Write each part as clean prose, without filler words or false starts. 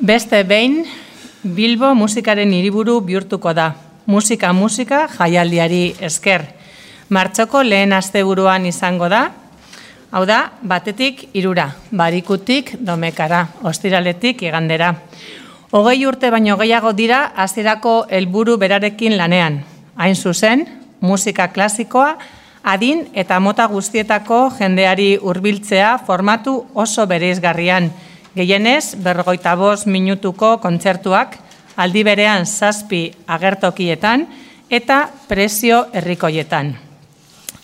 Beste behin, Bilbo musikaren hiriburu bihurtuko da. Musika jaialdiari esker. Martxoko lehen asteburuan izango da, hau da, batetik 3, Barikutik Domekara, ostiraletik igandera. 20 urte baino gehiago dira hasierako helburu berarekin lanean. Hain zuzen, musika klasikoa, adin eta mota guztietako jendeari hurbiltzea formatu oso bereizgarrian. Gehienez, 45 minutuko kontzertuak, aldi berean 7 agertokietan eta prezio herrikoietan.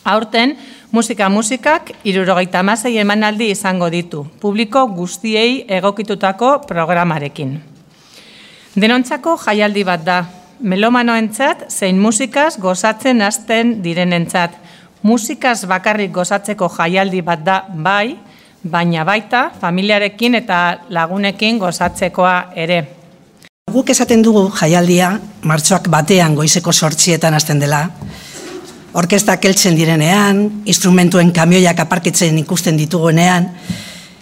Aurten, musikak 76 emanaldi izango ditu, publiko guztiei egokitutako programarekin. Denontzako jaialdi bat da, melomanoentzat zein musikaz gozatzen hasten direnentzat. Musikaz bakarrik gozatzeko jaialdi bat da bai, baina baita familiarekin eta lagunekin gozatzekoa ere. Guk esaten dugu jaialdia martxoak 1 goizeko 8 hasten dela, orkestak heltzen direnean, instrumentuen kamioiak aparkitzen ikusten ditugunean,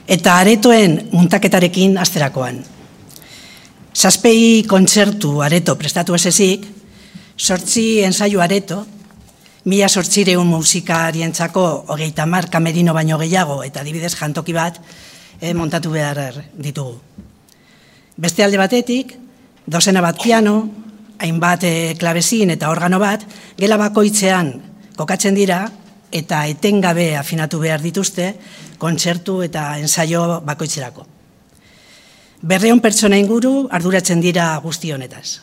eta aretoen muntaketarekin hasterakoan. 7 kontzertu areto prestatu ez ezik, 8 ensaio areto, 1800 musikarientzako 30 kamerino baino gehiago eta adibidez jantoki bat montatu behar ditugu. Beste alde batetik, 2 bat piano, hainbat klabezin eta organo bat, gela bakoitzean kokatzen dira eta etengabe afinatu behar dituzte kontzertu eta ensaio bakoitzerako. 200 pertsona inguru arduratzen dira guzti honetaz.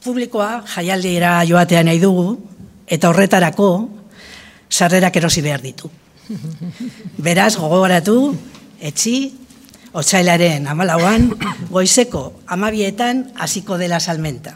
Publikoa jaialdira joatea nahi dugu, eta horretarako sarrerak erosi behar ditu. Beraz, gogoratu, etzi, otsailaren 14 goizeko 12 hasiko dela salmenta.